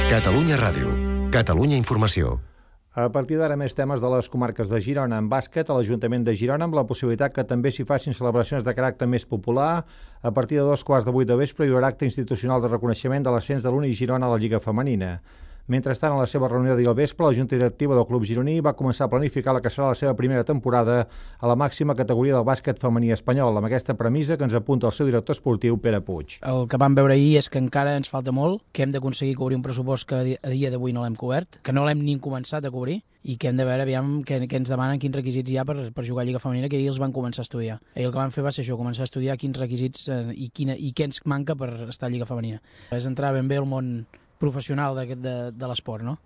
Catalunya Ràdio. Catalunya Informació. A partir d'ara, més temes de les comarques de Girona. En bàsquet, a l'Ajuntament de Girona, amb la possibilitat que també s'hi facin celebracions de caràcter més popular. A partir de 2:15 del vespre hi haurà acte institucional de reconeixement de l'ascens de l'Uni Girona a la Lliga Femenina. Mentrestant, a la seva reunió d'ahir al vespre, la Junta Directiva del Club Gironí va començar a planificar la que serà la seva primera temporada a la màxima categoria del bàsquet femení espanyol, amb aquesta premissa que ens apunta el seu director esportiu, Pere Puig. El que vam veure ahir és que encara ens falta molt, que hem d'aconseguir cobrir un pressupost que a dia d'avui no l'hem cobert, que no l'hem ni començat a cobrir, i que hem de veure aviam què ens demanen, quins requisits hi ha per jugar a Lliga Femenina, que ahir els van començar a estudiar. Ahir el que vam fer va ser això, començar a estudiar quins requisits i què ens manca per estar a Lliga Femenina. És entrar ben bé al món professional de l'esport, no?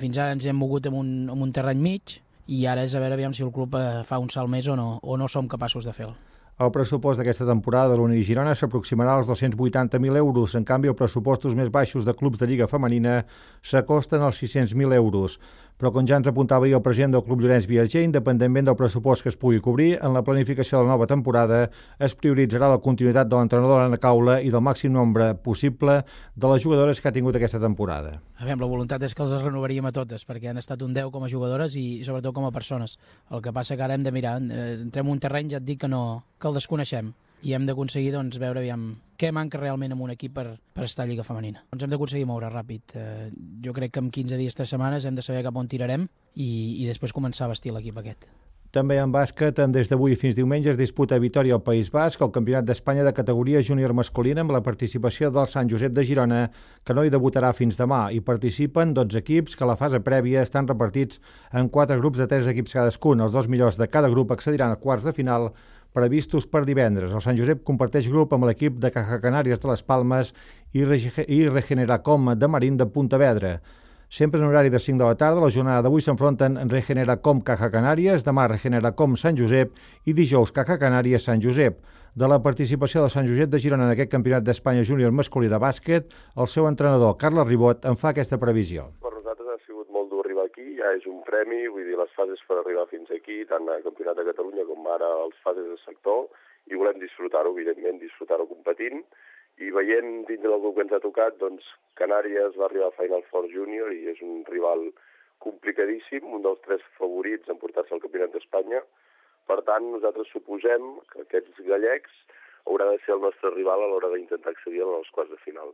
Fins ara ens hem mogut en un terreny mig i ara és a veure aviam si el club fa un salt més o no som capaços de fer-lo. El pressupost d'aquesta temporada de l'Uni Girona s'aproximarà als 280.000 euros. En canvi, els pressupostos més baixos de clubs de Lliga Femenina s'acosten als 600.000 euros. Però, com ja ens apuntava ahir el president del Club Llorenç Viatger, independentment del pressupost que es pugui cobrir, en la planificació de la nova temporada es prioritzarà la continuïtat de l'entrenador Anna Caula i del màxim nombre possible de les jugadores que ha tingut aquesta temporada. La voluntat és que els renovaríem a totes, perquè han estat un 10 com a jugadores i sobretot com a persones. El que passa que ara hem de mirar, entrem en un terreny, ja et dic que el desconeixem, i hem d'aconseguir veure aviam què manca realment en un equip per estar a Lliga Femenina. Hem d'aconseguir moure ràpid. Jo crec que en 15 dies, 3 setmanes hem de saber cap on tirarem i després començar a vestir l'equip aquest. També en bàsquet, des d'avui fins diumenge es disputa a Vitòria al País Basc el Campionat d'Espanya de categoria júnior masculina amb la participació del Sant Josep de Girona, que no hi debutarà fins demà. Hi participen 12 equips que a la fase prèvia estan repartits en 4 grups de 3 equips cadascun. Els 2 millors de cada grup accediran a quarts de final previstos per divendres. El Sant Josep comparteix grup amb l'equip de Caja Canàries de les Palmes i Regeneracom de Marín de Pontevedra. Sempre en horari de 5 de la tarda, la jornada d'avui s'enfronten Regeneracom Caja Canàries, demà Regeneracom Sant Josep i dijous Caja Canàries Sant Josep. De la participació del Sant Josep de Girona en aquest Campionat d'Espanya júnior masculí de bàsquet, el seu entrenador, Carles Ribot, en fa aquesta previsió. Per nosaltres ha sigut molt dur arribar aquí, ja és un premi, vull dir, les fases per arribar fins aquí, tant al Campionat de Catalunya com ara les fases de sector, i volem disfrutar-ho, evidentment, disfrutar-ho competint, i veient dins del grup que ens ha tocat, doncs Canàries va arribar a Final Four Junior i és un rival complicadíssim, un dels 3 favorits en portar-se al Campionat d'Espanya. Per tant, nosaltres suposem que aquests gallecs haurà de ser el nostre rival a l'hora d'intentar accedir als quarts de final.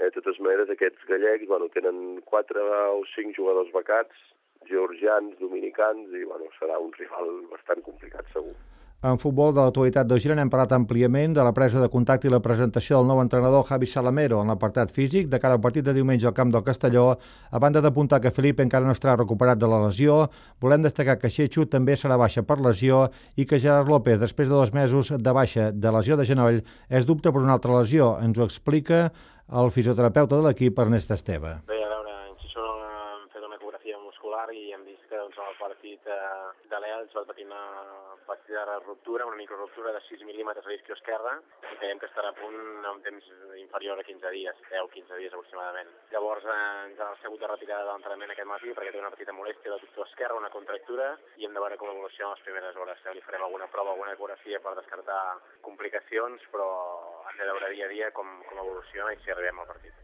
De totes maneres, aquests gallecs tenen 4 o 5 jugadors becats, georgians, dominicans, i serà un rival bastant complicat, segur. En futbol de l'actualitat de Girona hem parlat àmpliament de la presa de contacte i la presentació del nou entrenador Javi Salamero en l'apartat físic de cara al partit de diumenge al camp del Castelló. A banda d'apuntar que Felipe encara no estarà recuperat de la lesió, volem destacar que Xechu també serà baixa per lesió i que Gerard López, després de 2 mesos de baixa de lesió de genoll, és dubte per una altra lesió. Ens ho explica el fisioterapeuta de l'equip, Ernest Esteve. Bé, a veure, en Xixó hem fet una ecografia muscular i hem vist que el partit de l'ELS va patir una petita ruptura, una microruptura de 6 mil·límetres a l'isquio esquerra i creiem que estarà a punt en un temps inferior a 15 dies, 10-15 dies aproximadament. Llavors ens ha sigut de retirada de l'entrenament aquest matí perquè té una petita molèstia del doctor esquerra, una contractura, i hem de veure com evoluciona les primeres hores. Li farem alguna prova, alguna ecografia per descartar complicacions, però hem de veure dia a dia com evoluciona i si arribem al partit.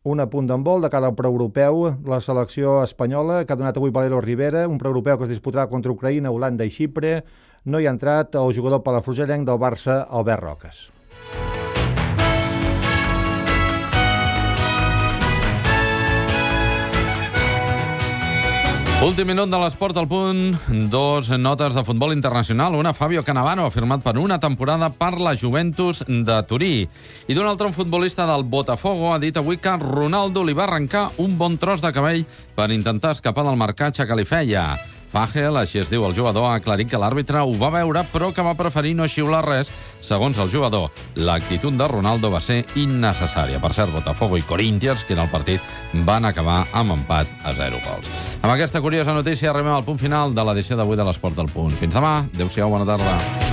Un apunt d'handbol de cara al preeuropeu, la selecció espanyola, que ha donat avui Valero Rivera, un preeuropeu que es disputarà contra Ucraïna, Holanda i Xipre. No hi ha entrat el jugador palafrugellenc del Barça, Albert Roques. Últim minut de l'Esport al punt. 2 notes de futbol internacional. Una, Fabio Cannavaro, firmat per una temporada per la Juventus de Turí. I d'un altre, un futbolista del Botafogo ha dit avui que Ronaldo li va arrencar un bon tros de cabell per intentar escapar del marcatge que li feia. Fagel, així es diu el jugador, ha aclarit que l'àrbitre ho va veure però que va preferir no xiular res. Segons el jugador, l'actitud de Ronaldo va ser innecessària. Per cert, Botafogo i Corinthians, que en el partit van acabar amb empat a 0 gols. Amb aquesta curiosa notícia arribem al punt final de l'edició d'avui de l'Esport al Punt. Fins demà. Adéu-siau, bona tarda.